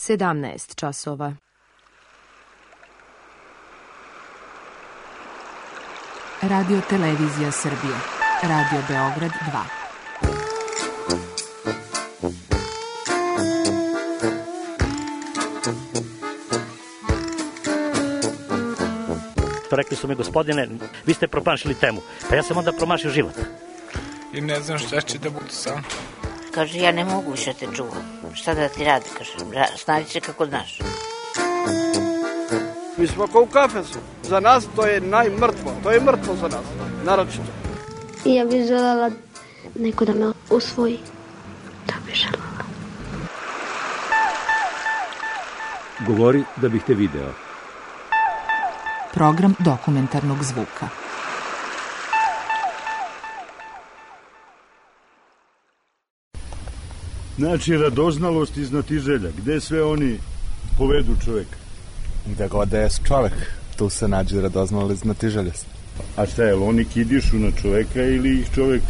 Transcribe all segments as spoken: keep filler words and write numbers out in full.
sedamnaest časova. Radio Televizija Srbije. Radio Beograd dva. Rekli su mi, gospodine, vi ste promašili temu. Pa ja sam onda promašio život. I ne znam šta će da bude sam. Kaže, ja ne mogu više te čuvam. Šta da ti radi, kaže, snađi se kako znaš. Mi smo kao u kafesu. Za nas to je najmrtvo. To je mrtvo za nas, naročito. I ja bih želela neko da me usvoji. To bih želela. Govori da bih te video. Program dokumentarnog zvuka. Znači, radoznalost i znatiželja. Gde sve oni povedu čoveka? Gde god da je čovek, tu se nađe radoznalost i znatiželjost. A šta je, oni kidišu na čoveka ili ih čovek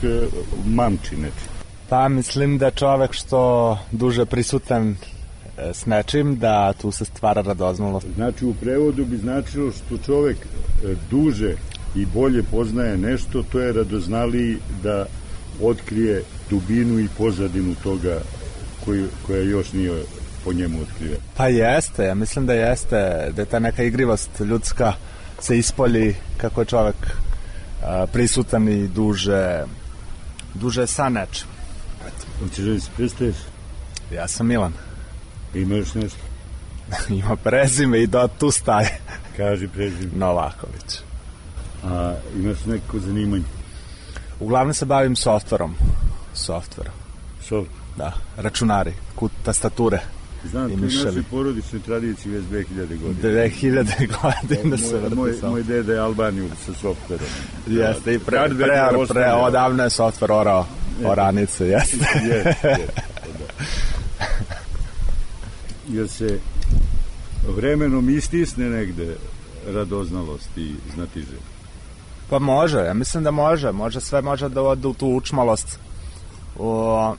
mamči neči? Pa mislim da čovek što duže prisutan s nečim, da tu se stvara radoznalost. Znači, u prevodu bi značilo što čovek duže i bolje poznaje nešto, to je radoznaliji da otkrije dubinu i pozadinu toga koji, koja još nije po njemu otkrije. Pa jeste, ja mislim da jeste, da je ta neka igrivost ljudska se ispolji kako je čovek a, prisutan i duže, duže sa nečim. Hoćeš da se predstaviš? Ja sam Milan. Ima još nešto? Ima prezime i do tu staje. Kaži prezime. Novaković. A imaš neko zanimanje? Uglavnom se bavim softverom. Softverom. Softver? Da, računari, kut, tastature. Znam, to je naše porodične tradicije već dve hiljade godina. dve hiljade godina se vrti moj, softver. Moj deda je Albaniju sa softverom. Jeste, i pre, pre, pre, pre odavno je softver orao oranice, jeste. Jeste, jeste, da. Jer se vremenom istisne negde radoznalost i znatiželja. Pa može, ja mislim da može. Može sve može da ode u tu učmalost. O,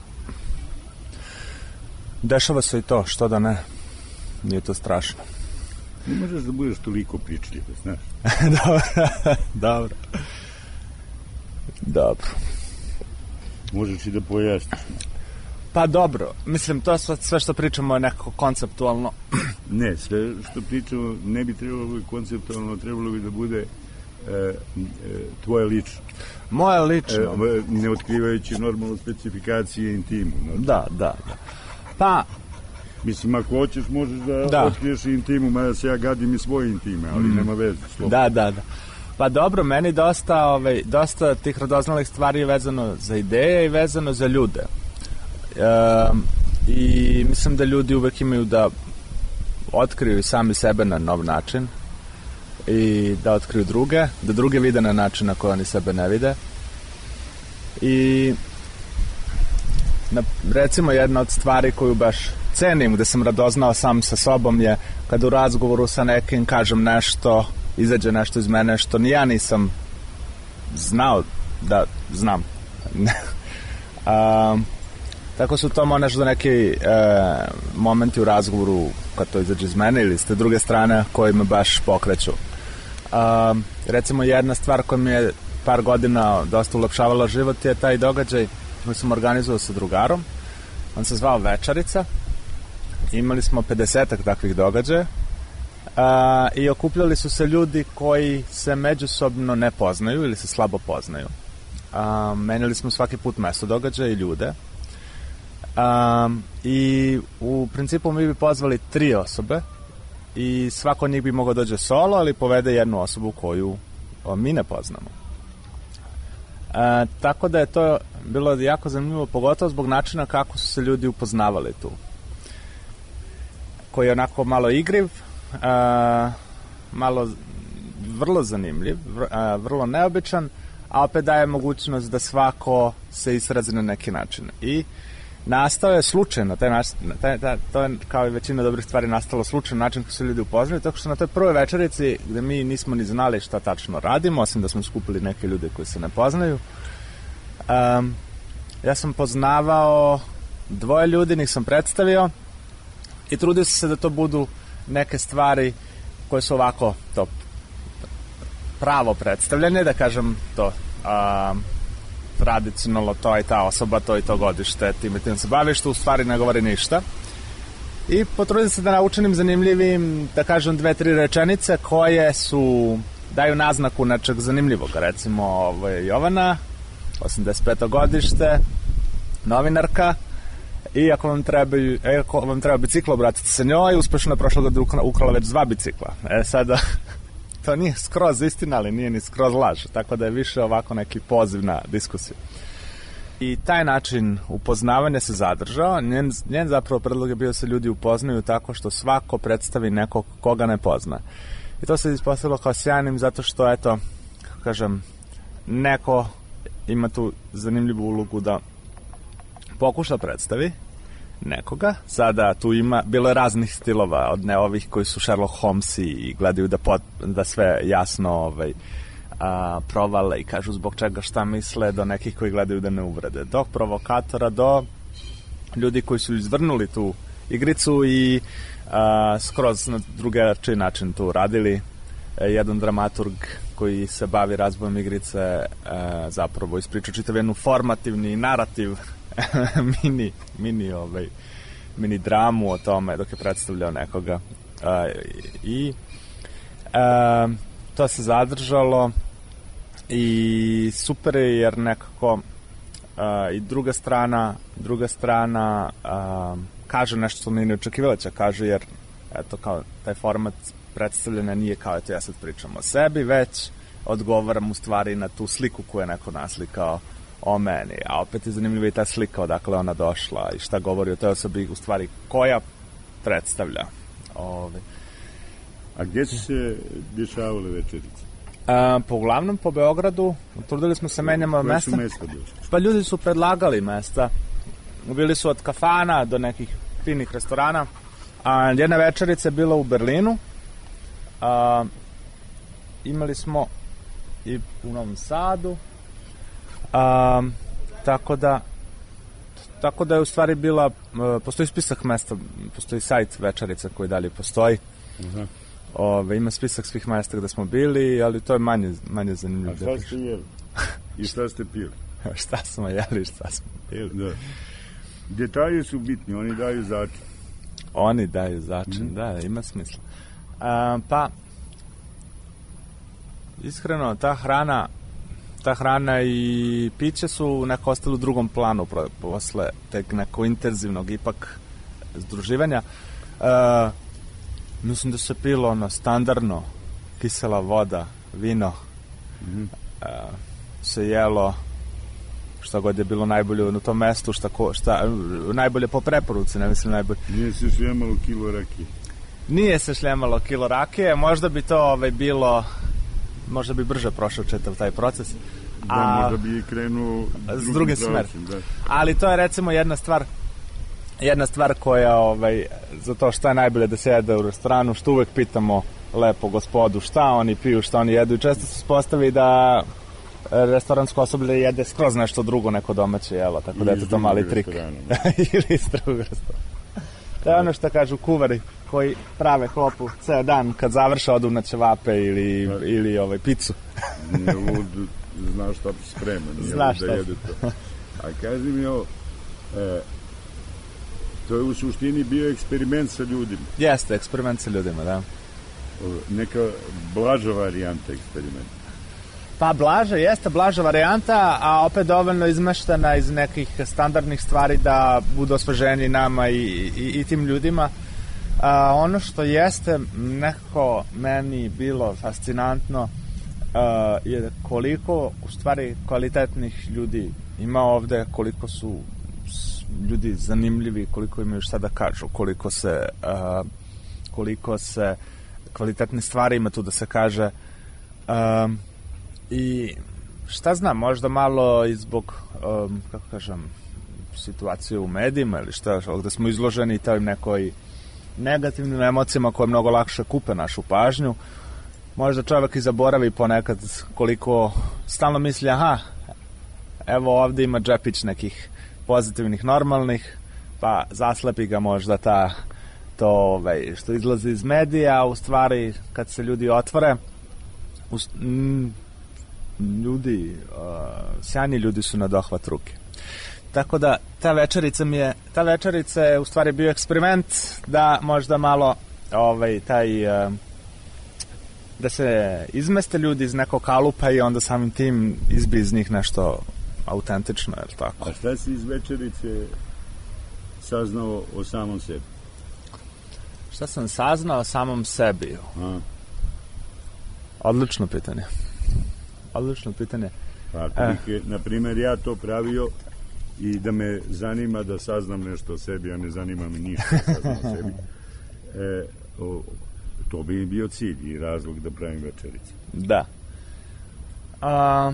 dešava se i to, što da ne. Nije to strašno. Ne možeš da budeš toliko pričljiv, znaš. Dobro, dobro. Dobro. Možeš i da pojasniš. Pa dobro, mislim, to sve, sve što pričamo je nekako konceptualno. Ne, sve što pričamo ne bi trebalo biti konceptualno, trebalo bi da bude e, e, tvoje lično. Moje lično? E, ne otkrivajući normalno specifikacije intimu. Znači. Da, da, da. Pa... Mislim, ako hoćeš, možeš da, da. otkriješ intimu, mada se ja gadim i svoje intime, ali mm. nema veze. Slobodno. Da, da, da. Pa dobro, meni dosta, ovaj, dosta tih radoznalih stvari je vezano za ideje i vezano za ljude. E, I mislim da ljudi uvek imaju da otkriju sami sebe na nov način i da otkriju druge, da druge vide na način na koji oni sebe ne vide. I na, recimo jedna od stvari koju baš cenim, gde sam radoznao sam sa sobom, je kada u razgovoru sa nekim kažem nešto, izađe nešto iz mene što ni ja nisam znao da znam. A, tako su to možda neki e, momenti u razgovoru kad to izađe iz mene ili s te druge strane koji me baš pokreću. A, recimo jedna stvar koja mi je par godina dosta ulepšavala život je taj događaj koji sam organizovao sa drugarom. On se zvao Večarica. Imali smo pedesetak takvih događaja a, i okupljali su se ljudi koji se međusobno ne poznaju ili se slabo poznaju. A, menjali smo svaki put mesto događaja i ljude. A, I u principu mi bi pozvali tri osobe i svako od njih bi mogao dođe solo, ali povede jednu osobu koju o, mi ne poznamo. A, tako da je to bilo jako zanimljivo, pogotovo zbog načina kako su se ljudi upoznavali tu. Koji je onako malo igriv, a, malo vrlo zanimljiv, a, vrlo neobičan, a opet daje mogućnost da svako se izrazi na neki način. I nastao je slučajno, taj način, taj, taj, to je kao i većina dobrih stvari nastalo slučajno način kako su ljudi upoznali, tako što na toj prvoj večerici gde mi nismo ni znali šta tačno radimo, osim da smo skupili neke ljude koji se ne poznaju, um, ja sam poznavao dvoje ljudi, njih sam predstavio i trudio sam se da to budu neke stvari koje su ovako to pravo predstavljene, da kažem to a, tradicionalno to i ta osoba, to i to godište, tim i tim se baviš, što u stvari ne govori ništa. I potrudim se da naučenim zanimljivim, da kažem, dve, tri rečenice koje su, daju naznaku nečeg zanimljivog. Recimo, ovo je Jovana, osamdeset peto godište, novinarka, i ako vam treba, ako vam treba bicikla, obratite se njoj, uspešno je prošle godine ukrala već dva bicikla. E sada, to nije skroz istina, ali nije ni skroz laž, tako da je više ovako neki poziv na diskusiju. I taj način upoznavanja se zadržao. Njen, njen zapravo predlog je bio da se ljudi upoznaju tako što svako predstavi nekog koga ne pozna. I to se ispostavilo kao sjajnim zato što, eto, kako kažem, neko ima tu zanimljivu ulogu da pokuša predstavi nekoga. Sada tu ima, bilo je raznih stilova, od ne ovih koji su Sherlock Holmesi i gledaju da, pot, da sve jasno ovaj, a, provale i kažu zbog čega šta misle, do nekih koji gledaju da ne uvrede, do provokatora, do ljudi koji su izvrnuli tu igricu i a, skroz na drugačiji način tu radili. E, jedan dramaturg koji se bavi razvojem igrice e, zapravo ispričao čitav jednu formativni narativ mini, mini, ovaj, mini dramu o tome dok je predstavljao nekoga e, i e, to se zadržalo i super je jer nekako uh, i druga strana druga strana uh, kaže nešto što mi ne očekivalo će kaže, jer eto kao taj format predstavljena nije kao eto ja sad pričam o sebi, već odgovaram u stvari na tu sliku koju je neko naslikao o meni, a opet je zanimljiva i ta slika odakle ona došla i šta govori o toj osobi u stvari koja predstavlja. Ove. A gdje su se dešavale večerice? Uh, po uglavnom po Beogradu, trudili smo se menjamo mesta. Koje su mesta bili? Pa ljudi su predlagali mesta. Bili su od kafana do nekih finih restorana. A jedna večerica je bila u Berlinu. A, imali smo i u Novom Sadu. A, tako da tako da je u stvari bila, postoji spisak mesta, postoji sajt večerica koji dalje postoji. Uh-huh. Ove, ima spisak svih mesta gde smo bili, ali to je manje, manje zanimljivo. A šta ste jeli? I šta ste pili? Šta smo jeli i šta smo pili? Da. Detalji su bitni, oni daju začin. Oni daju začin, mm. da, ima smisla. A, pa, iskreno, ta hrana, ta hrana i piće su neko ostalo u drugom planu posle tek neko intenzivnog ipak združivanja. A, Mislim da se pilo ono standardno, kisela voda, vino, mm-hmm. uh, se jelo šta god je bilo najbolje na tom mestu, šta, ko, šta najbolje po preporuci, ne mislim najbolje. Nije se šljemalo kilo rakije? Nije se šljemalo kilo rakije, možda bi to ovaj, bilo, možda bi brže prošao čitav taj proces. Da, a, možda bi krenuo s druge smere. Ali to je recimo jedna stvar Jedna stvar koja, ovaj, za to šta je najbolje da se jede u restoranu, što uvek pitamo lepo gospodu šta oni piju, šta oni jedu i često se spostavi da restoransko osoblje jede skroz nešto drugo, neko domaće jelo, tako da je to mali trik. Ili iz drugog restorana. To je ono što kažu kuvari koji prave hlopu ceo dan, kad završe odu na ćevape ili, ili ovaj, picu. Nije lud, znaš šta sprema, nije lud da jede to. A kaži mi ovo, e, to je u suštini bio eksperiment sa ljudima. Jeste, eksperiment sa ljudima, da. Neka blaža varijanta eksperimenta. Pa blaža, jeste blaža varijanta, a opet dovoljno izmeštena iz nekih standardnih stvari da budu osveženi nama i, i, i tim ljudima. A, ono što jeste nekako meni bilo fascinantno a, je koliko u stvari kvalitetnih ljudi ima ovde, koliko su ljudi zanimljivi, koliko imaju šta da kažu, koliko se uh, koliko se kvalitetne stvari ima tu da se kaže uh, i šta znam, možda malo i zbog um, kako kažem situacije u medijima ili šta, gde smo izloženi toj nekoj negativnim emocijama koje mnogo lakše kupe našu pažnju, možda čovjek i zaboravi ponekad koliko stalno misli, aha, evo ovde ima džepić nekih pozitivnih, normalnih, pa zaslepi ga možda ta to ovaj, što izlazi iz medija, u stvari kad se ljudi otvore, u, m, ljudi, uh, sjajni ljudi su na dohvat ruke. Tako da ta večerica mi je, ta večerica je u stvari bio eksperiment da možda malo ovaj, taj, uh, da se izmeste ljudi iz nekog kalupa i onda samim tim izbi iz njih nešto autentično, je li tako? A šta si iz večerice saznao o samom sebi? Šta sam saznao o samom sebi? A? Odlično pitanje. Odlično pitanje. Pa ako bih, eh. na primjer, ja to pravio i da me zanima da saznam nešto o sebi, a ne zanima me ništa da saznam o sebi, e, o, to bi bio cilj i razlog da pravim večerice. Da. A,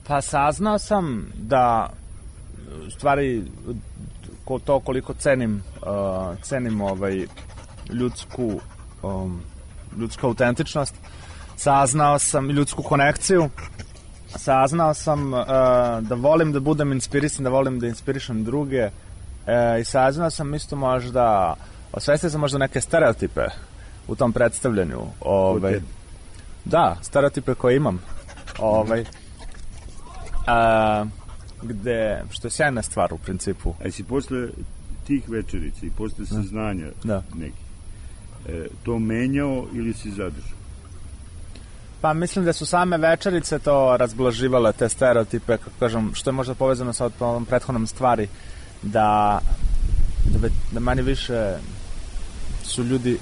pa saznao sam da u stvari ko to koliko cenim uh, cenim ovaj ljudsku um, ljudsku autentičnost, saznao sam ljudsku konekciju, saznao sam uh, da volim da budem inspirisan, da volim da inspirišem druge, uh, i saznao sam isto možda, osvestio sam možda neke stereotipe u tom predstavljanju, ovaj, da, stereotipe koje imam, ovaj, uh, gde, što je sjajna stvar u principu. A si posle tih večerica i posle saznanja da. nekih, e, to menjao ili si zadržao? Pa mislim da su same večerice to razblaživale, te stereotipe, kako kažem, što je možda povezano sa ovom prethodnom stvari, da da, da manje više su ljudi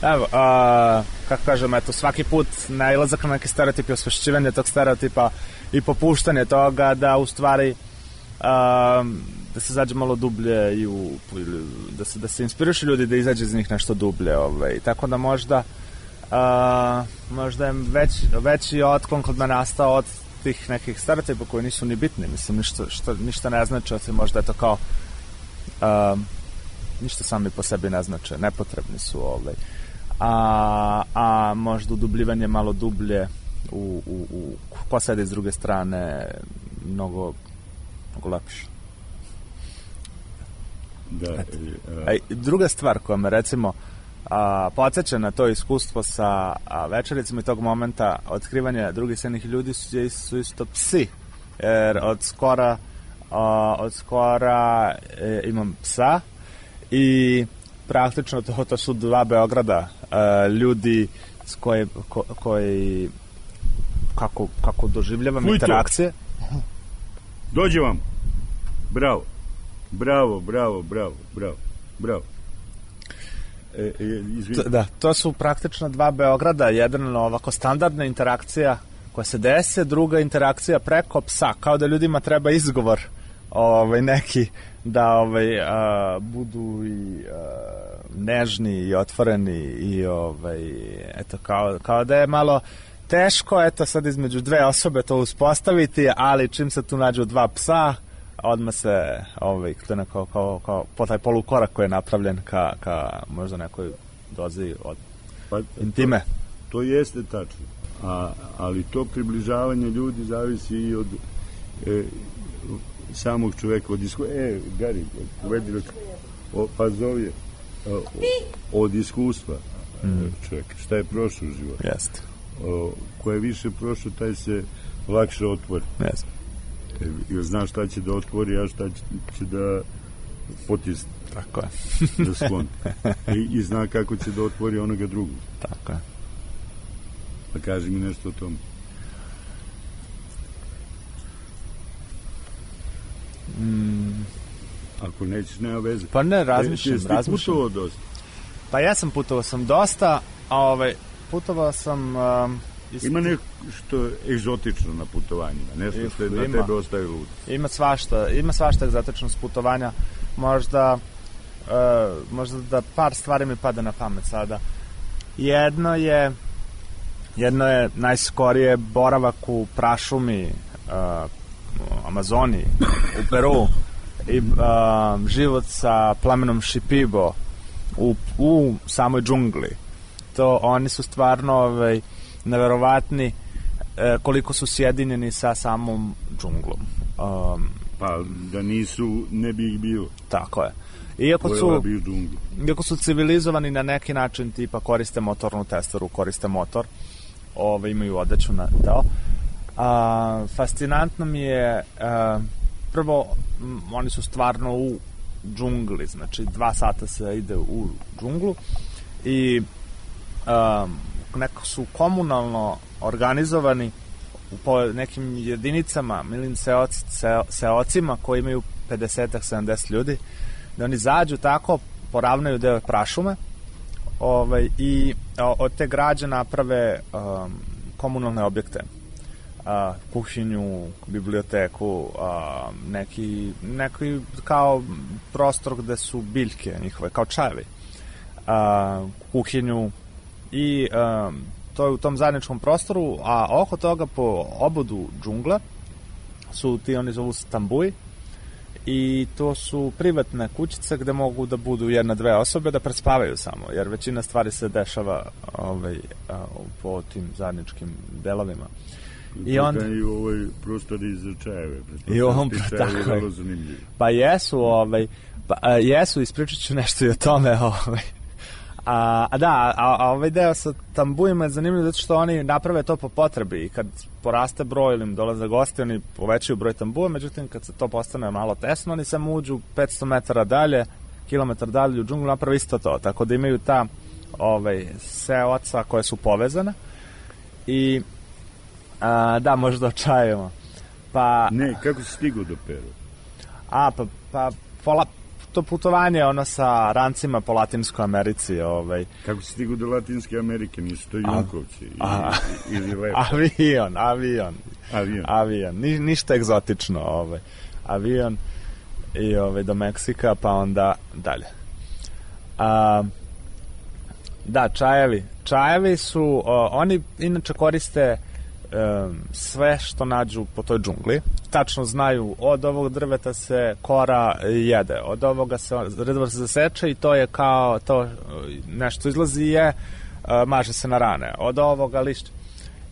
evo, a, kako kažem, eto, svaki put nailazak na neki stereotip i osvešćivanje tog stereotipa i popuštanje toga da u stvari a, da se zađe malo dublje i u, da se, da se inspirišu ljudi da izađe iz njih nešto dublje, ovaj. Tako da možda a, možda je već, veći otklon kod me nastao od tih nekih stereotipa koji nisu ni bitni, mislim, ništa, što, ništa ne znači, osim možda je to kao a, ništa sami po sebi ne znače, nepotrebni su, ovaj. A, a možda udubljivanje malo dublje u, u, u ko sede s druge strane mnogo, mnogo lepše. Da, a, a, druga stvar koja me recimo a, podsjeća na to iskustvo sa a, večericama i tog momenta otkrivanja drugih sjajnih ljudi su, su isto psi, jer od skora a, od skora e, imam psa i praktično to, to su dva Beograda, uh, ljudi s koje, ko, koji kako, kako doživljavam Fuj interakcije. To. Dođe vam. Bravo. Bravo, bravo, bravo, bravo, bravo. E, e, to, da, to su praktično dva Beograda, jedan ovako standardna interakcija koja se dese, druga interakcija preko psa, kao da ljudima treba izgovor ovaj, neki da ovaj, a, budu i a, nežni i otvoreni i ovaj, eto, kao, kao da je malo teško, eto, sad između dve osobe to uspostaviti, ali čim se tu nađu dva psa, odmah se ovaj, to je kao, kao, kao po taj polukorak koji je napravljen ka, ka možda nekoj dozi od pa, intime. To, to jeste tačno, a, ali to približavanje ljudi zavisi i od e, samog čoveka, od iskustva. E, Gari, uvedi o, pa zove o, od iskustva mm. čoveka, šta je prošlo u životu. Jeste. Ko je više prošlo, taj se lakše otvori. Jeste. E, jer zna šta će da otvori, a šta će, će da potisne. Tako je. Da skloni. I, I zna kako će da otvori onoga drugog. Tako je. Pa kaži mi nešto o tom. Mm. Ako nećeš, nema veze. Pa ne, razmišljam, e, razmišljam. putovao dosta? Pa ja sam putovao sam dosta, a ovaj, putovao sam... Um, isti... Ima nešto egzotično na putovanjima, nešto što je na tebe ostaje lud. Ima svašta, ima svašta egzotično s putovanja, možda, uh, možda da par stvari mi pada na pamet sada. Jedno je, jedno je najskorije boravak u prašumi, uh, u Amazoni, u Peru, i uh, život sa plemenom Šipibo u, u samoj džungli. To oni su stvarno ovaj, neverovatni eh, koliko su sjedinjeni sa samom džunglom. Um, pa da nisu, ne bi ih bilo. Tako je. Iako su, bi u džunglu. iako su civilizovani na neki način, tipa koriste motornu testeru, koriste motor, ove, imaju odeću na to. A, fascinantno mi je, a, prvo, m, oni su stvarno u džungli, znači dva sata se ide u džunglu i a, neko su komunalno organizovani po nekim jedinicama, milim seoc, seo, seocima koji imaju pedeset do sedamdeset ljudi, da oni zađu tako, poravnaju deo prašume ovaj, i o, od te građe naprave um, komunalne objekte. Uh, kuhinju, biblioteku, uh, neki, neki kao prostor gde su biljke njihove, kao čajevi. Uh, kuhinju i um, to je u tom zajedničkom prostoru, a oko toga po obodu džungla su ti, oni zovu tambuji, i to su privatne kućice gde mogu da budu jedna, dve osobe da prespavaju samo, jer većina stvari se dešava ovaj, a, po tim zajedničkim delovima. I onda i ovaj prostor iz čajeve. I on tako. Vrlo zanimljiv. Pa jesu, ovaj, pa, a, jesu, ispričat ću nešto i o tome, ovaj. A, a da, a, a ovaj deo sa tambujima je zanimljiv zato što oni naprave to po potrebi i kad poraste broj ili im dolaze gosti, oni povećaju broj tambuja, međutim kad se to postane malo tesno, oni samo uđu petsto metara dalje, kilometar dalje u džunglu, naprave isto to, tako da imaju ta ovaj, seoca koje su povezane i a, da, možda očajemo. Pa, ne, kako si stigao do Peru? A, pa, pa pola, to putovanje ono sa rancima po Latinskoj Americi, ovaj. Kako si stigao do Latinske Amerike, nisu to Junkovci ili, ili lepo? Avion, avion. Avion. Avion, Ni, ništa egzotično, ovaj. Avion i ovaj, do Meksika, pa onda dalje. A, da, čajevi. Čajevi su, o, oni inače koriste um, sve što nađu po toj džungli. Tačno znaju, od ovog drveta se kora jede, od ovoga se drvo se zaseče i to je kao, to nešto izlazi je, uh, maže se na rane, od ovoga lišća.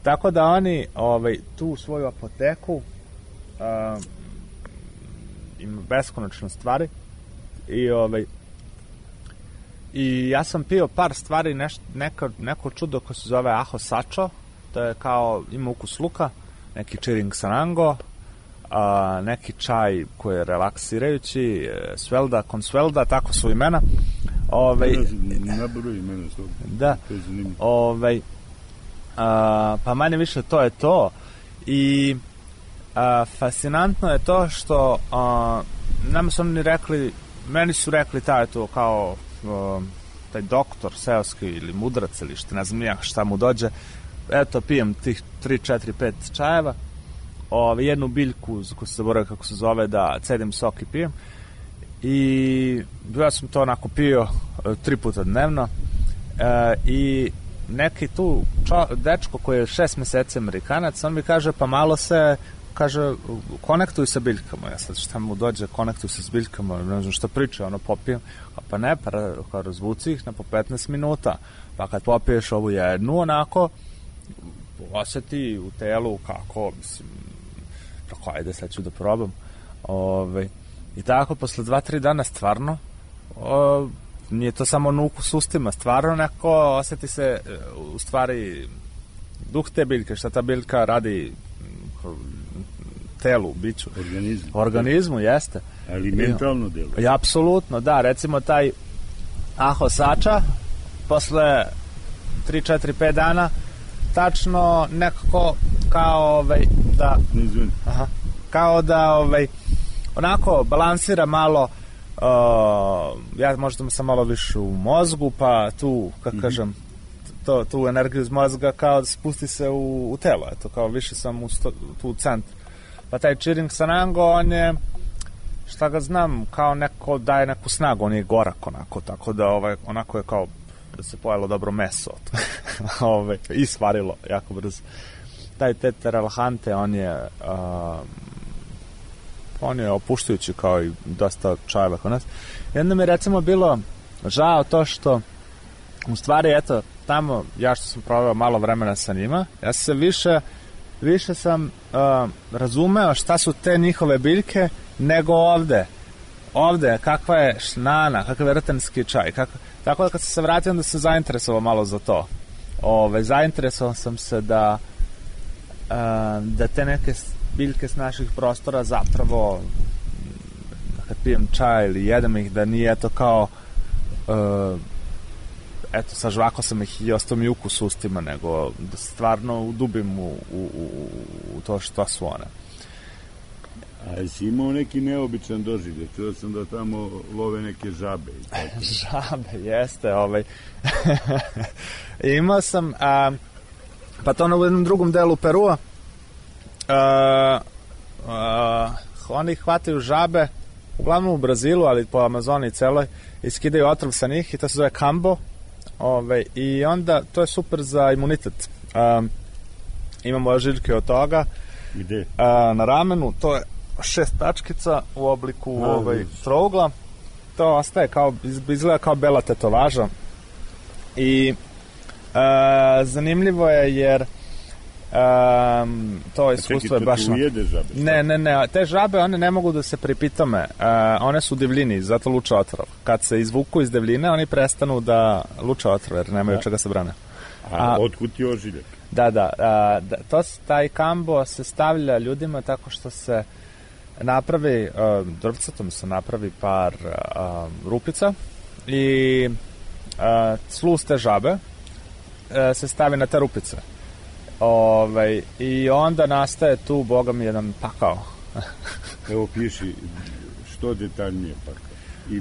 Tako da oni ovaj, tu svoju apoteku uh, ima beskonačno stvari i ovaj i ja sam pio par stvari, neš, neka, neko čudo koje se zove aho sacho, to je kao, ima ukus luka, neki chiring sanango, a, neki čaj koji je relaksirajući, svelda, konsvelda, tako su imena. Ovaj, Naboru imena su. Da, ovaj, a, pa manje više to je to. I a, fascinantno je to što a, nama su oni rekli, meni su rekli taj to kao a, taj doktor seoski ili mudrac ili što ne znam ja šta mu dođe, eto pijem tih tri, četiri, pet čajeva, ove, jednu biljku koju se zaboravio kako se zove, da cedim sok i pijem, i ja sam to onako pio e, tri puta dnevno e, i neki tu čo, dečko koji je šest meseci Amerikanac, on mi kaže pa malo se, kaže, konektuj sa biljkama. Ja sad šta mu dođe, konektuj se s biljkama, ne znam šta priča, ono popijem, pa ne, pa razvuci ih na po petnaest minuta, pa kad popiješ ovu jednu, onako osjeti u telu kako, mislim, tako, ajde, sad ću da probam. Ove, i tako, posle dva, tri dana, stvarno, o, nije to samo na ukus ustima, stvarno neko osjeti se, u stvari, duh te biljke, šta ta biljka radi telu, biću. Organizmu. Organizmu, jeste. Ali mentalno delo. I apsolutno, da, recimo taj aho sača, posle tri, četiri, pet dana, tačno nekako kao ovaj, da aha, kao da ovaj, onako balansira malo, uh, ja možda sam malo više u mozgu, pa tu, kako mm-hmm. kažem, to, tu energiju iz mozga kao da spusti se u, u telo, eto, kao više sam u sto, tu u centru. Pa taj chiring sanango, on je, šta ga znam, kao neko daje neku snagu, on je gorak onako, tako da ovaj, onako je kao da se pojelo dobro meso ove, i svarilo jako brzo. Taj tete relahante, on je uh, on je opuštajući kao i dosta čajeva kod nas. I onda mi recimo bilo žao to što u stvari, eto, tamo ja što sam proveo malo vremena sa njima, ja sam se više više sam uh, razumeo šta su te njihove biljke nego ovde. ovde, kakva je šnana, kakav je rtenski čaj, kako... Tako da kad sam se vratio, onda sam zainteresovao malo za to. Ove, zainteresovao sam se da da te neke biljke s naših prostora zapravo kad pijem čaj ili jedem ih, da nije to kao uh, eto sažvako sam ih i ostao mi ukus ustima, nego da stvarno udubim u, u, u, u to što su one. A jesi imao neki neobičan doživljaj? Čuo sam da tamo love neke žabe. I tako. Žabe, jeste. Ovaj. Imao sam a, pa to na u jednom drugom delu Perua. A, a, oni hvataju žabe uglavnom u Brazilu, ali po Amazoniji celoj, i skidaju otrov sa njih i to se zove kambo. Ove, i onda to je super za imunitet. A, imamo ožiljke od toga. Gde? A, na ramenu, to je šest tačkica u obliku A, ovaj, trougla. To ostaje kao, izgleda kao bela tetovaža. I a, zanimljivo je jer Um, to iskustvo je baš... Ne, ne, ne, te žabe, one ne mogu da se pripitome, uh, one su u divljini, zato luče otrov. Kad se izvuku iz divljine, oni prestanu da luče otrov, jer nemaju da. Čega se brane. A, a otkud ti ožiljak? Da, da, a, da to, taj kambo se stavlja ljudima tako što se napravi, uh, drvcatom se napravi par uh, rupica i uh, sluz te žabe uh, se stavi na te rupice. Ovaj, i onda nastaje tu, boga mi, jedan pakao. Evo piši što detaljnije pakao i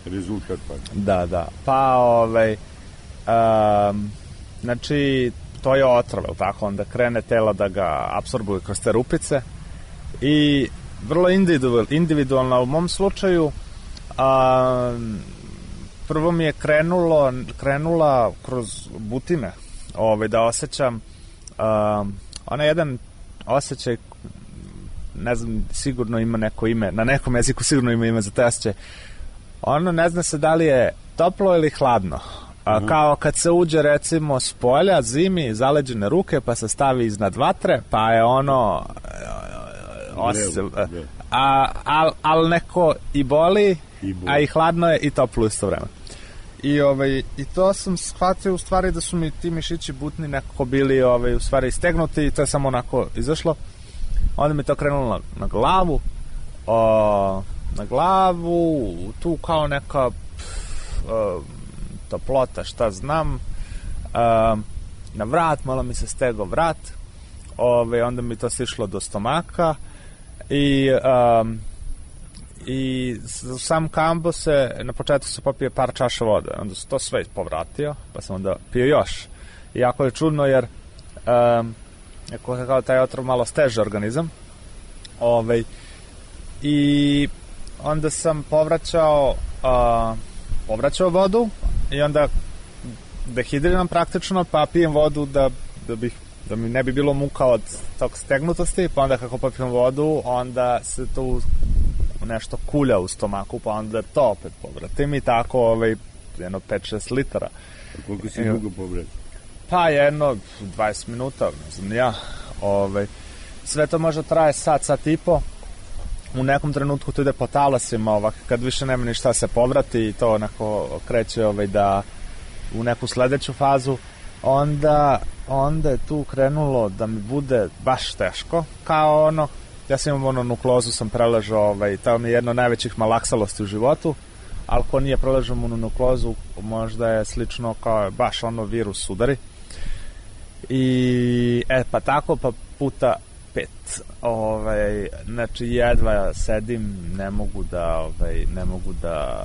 rezultat pakao. Da, da. Pa, ovaj, um, znači, to je otrov, tako? Onda krene telo da ga apsorbuje kroz te rupice i vrlo individual, individualno u mom slučaju um, prvo mi je krenulo, krenula kroz butine, ovaj, da osjećam Um, ona je jedan osjećaj, ne znam, sigurno ima neko ime, na nekom jeziku sigurno ima ime za te osjećaj. Ono ne zna se da li je toplo ili hladno. A, uh-huh. Kao kad se uđe recimo s polja, zimi, zaleđene ruke, pa se stavi iznad vatre, pa je ono osjećaj, a, al, al neko i boli, I a i hladno je i toplo isto vreme. I, ovaj, i to sam shvatio u stvari da su mi ti mišići butni nekako bili ovaj, u stvari istegnuti i to je samo onako izašlo. Onda mi to krenulo na, na glavu, o, na glavu, tu kao neka pff, o, toplota, šta znam, o, na vrat, malo mi se stegao vrat, ovaj, onda mi to sišlo do stomaka i... O, i sam kambo se na početku se popije par čaša vode, onda se to sve povratio, pa sam onda pio još. Iako je čudno jer um, ako je kao taj otrov malo steže organizam, ovaj, i onda sam povraćao uh, povraćao vodu i onda dehidriram praktično, pa pijem vodu da, da, bih, da mi ne bi bilo muka od tog stegnutosti, pa onda kako popijem vodu, onda se tu nešto kulja u stomaku, pa onda to opet povratim i tako ovaj, jedno pet šest litara. A koliko si dugo povratio? Pa jedno dvadeset minuta, ne znam ja. Ovaj, sve to možda traje sat, sat i po. U nekom trenutku to ide po talasima, ovak, kad više nema ništa se povrati i to onako kreće ovaj, da u neku sledeću fazu, onda, onda je tu krenulo da mi bude baš teško, kao ono, ja sam imam ono nukleozu, sam preležao, ovaj, to mi je jedno od najvećih malaksalosti u životu, ali ko nije preležao mononukleozu, možda je slično kao baš ono virus udari. I, e, pa tako, pa puta pet. Ovaj, znači, jedva sedim, ne mogu da, ovaj, ne mogu da,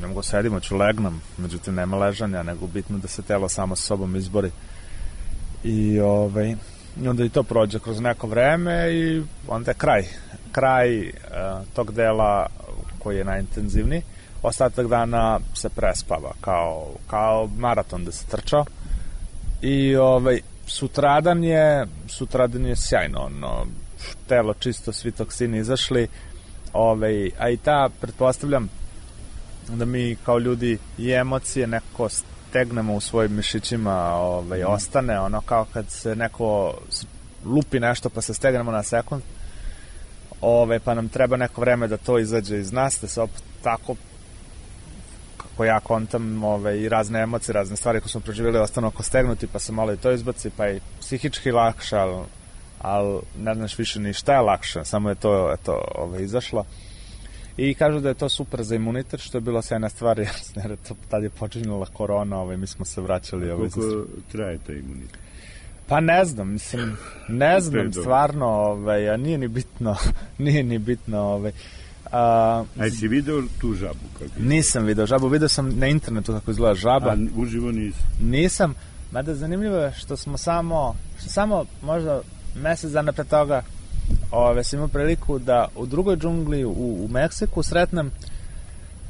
ne mogu sedim, hoću legnem, međutim, nema ležanja, nego bitno da se telo samo sa sobom izbori. I, ovaj, i onda i to prođe kroz neko vreme i onda je kraj. Kraj uh, tog dela koji je najintenzivniji. Ostatak dana se prespava kao, kao maraton da se trčao. I ovaj, sutradan je sutradan je sjajno, ono, telo čisto, svi toksini izašli, ovaj, a i ta, pretpostavljam da mi kao ljudi i emocije neko stegnemo u svojim mišićima, ovaj, mm. ostane, ono kao kad se neko lupi nešto pa se stegnemo na sekund, ove, pa nam treba neko vreme da to izađe iz nas, da se opet tako, kako ja kontam, ove, i razne emocije, razne stvari koje smo proživjeli ostanu oko stegnuti, pa se malo i to izbaci, pa i psihički lakše, ali, ali ne znaš više ni šta je lakše, samo je to eto, ove, izašlo. I kažu da je to super za imunitet, što je bilo sjajna stvar, jer to, tad je počinjala korona, ove, mi smo se vraćali. Ove, koliko traje taj imunitet? Pa ne znam, mislim, ne znam, stvarno, ovaj, a nije ni bitno, nije ni bitno, ovaj. A, a si video tu žabu? Kako nisam video žabu, video sam na internetu kako izgleda žaba. A uživo nisam? Nisam, mada zanimljivo je što smo samo, što samo možda mesec dana pre toga, ove, sam imao priliku da u drugoj džungli u, u Meksiku sretnem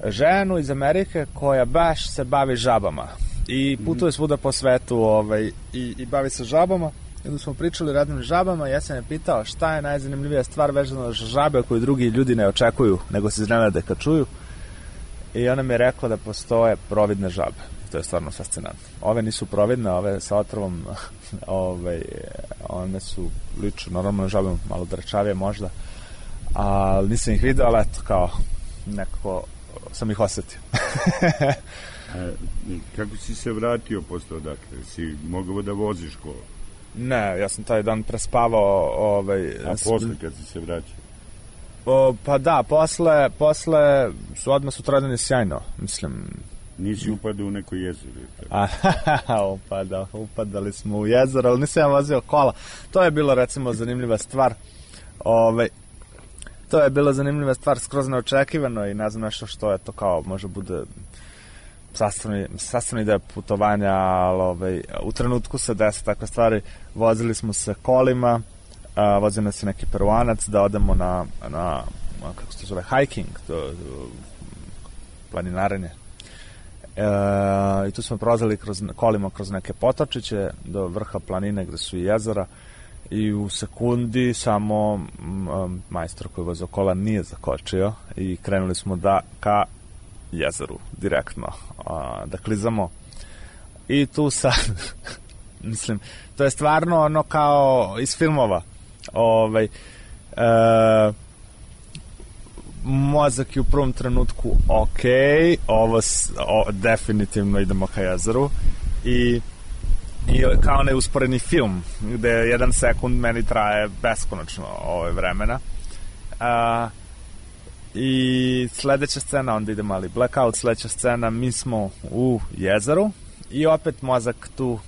ženu iz Amerike koja baš se bavi žabama. I putuje svuda po svetu ovaj, i, i bavi se žabama. I onda smo pričali o radnim žabama i ja sam je pitao šta je najzanimljivija stvar vezana za žabe koju drugi ljudi ne očekuju, nego se iznenade kad čuju. I ona mi je rekla da postoje providne žabe. To je stvarno fascinantno. Ove nisu providne, ove sa otrovom, ove, one su liču normalno žabe, malo drčavije možda, ali nisam ih vidio, ali eto, kao nekako sam ih osetio. A, kako si se vratio posle odakle? Si mogao da voziš ko? Ne, ja sam taj dan prespavao. Ovaj, a posle kad si se vraćao? O, pa da, posle, posle su odmah sutradan sjajno, mislim. Nisi upadao u neko jezero? A, upadao, upadali smo u jezero, ali nisam ja vozio kola. To je bilo, recimo, zanimljiva stvar. Ovaj, to je bila zanimljiva stvar, skroz neočekivano i ne znam nešto što je to kao, može bude sastavni, sastavni deo putovanja, ali ovaj, u trenutku se desi takve stvari. Vozili smo se kolima, a, vozio nas je neki Peruanac da odemo na, na kako se to zove, hiking, do, do, planinarenje. E, i tu smo prolazili kroz, kolima kroz neke potočiće do vrha planine gde su i jezera i u sekundi samo um, majstor koji vozio kola nije zakočio i krenuli smo da ka jezeru direktno a, da klizamo i tu sad mislim, to je stvarno ono kao iz filmova ovaj e, mozak je u prvom trenutku ok, ovo o, definitivno idemo ka jezeru i, i kao neusporeni film gde jedan sekund meni traje beskonačno ove vremena a, i sledeća scena, onda ide mali blackout, sledeća scena, mi smo u jezeru i opet mozak tu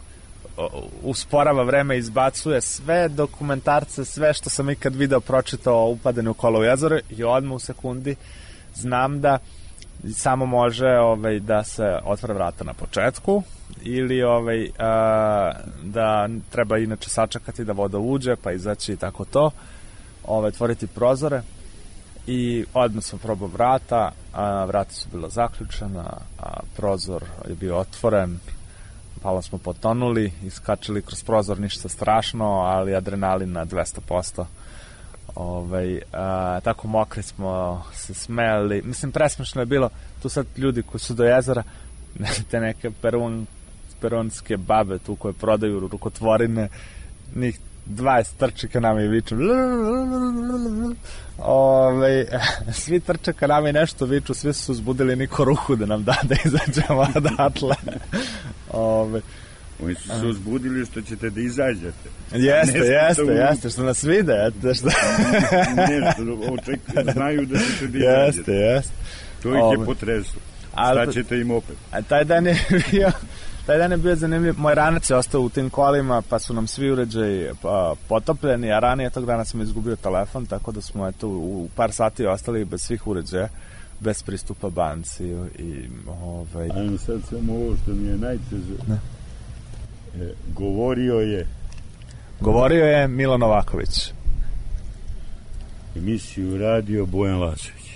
usporava vreme, izbacuje sve dokumentarce, sve što sam ikad video, pročitao o upadanju kola u jezero i odmah u sekundi znam da samo može ovaj, da se otvore vrata na početku ili ovaj, a, da treba inače sačekati da voda uđe pa izaći i tako to, ovaj, otvoriti prozore i odmah sam probao vrata, a vrata su bila zaključena, a prozor je bio otvoren, palo smo potonuli, iskačili kroz prozor, ništa strašno, ali adrenalin na dvesta posto. Ovaj, a, tako mokri smo se smeli, mislim presmešno je bilo, tu sad ljudi koji su do jezera, te neke perun, perunske babe tu koje prodaju rukotvorine, njih dvadeset trče ka nama i viču Ove, svi trče ka nama i nešto viču, svi su uzbudili, niko ruku da nam da da izađemo odatle. Ove, oni su se uzbudili što ćete da izađete. Jeste, jeste, u... jeste, što nas vide, eto, što... Nešto, očekuju, znaju da ćete da izađete. Jeste, jeste. To ih Ove. je potreslo. Šta ćete im opet? A taj dan je bio... Taj dan je bio zanimljiv, moj ranac je ostao u tim kolima, pa su nam svi uređaji pa, potopljeni, a ranije tog dana sam izgubio telefon, tako da smo eto, u par sati ostali bez svih uređaja, bez pristupa banci. I, ovaj... Ajmo sad samo ovo što mi je najteže. E, govorio je... Govorio je Milo Novaković. Emisiju radio Bojan Lašević.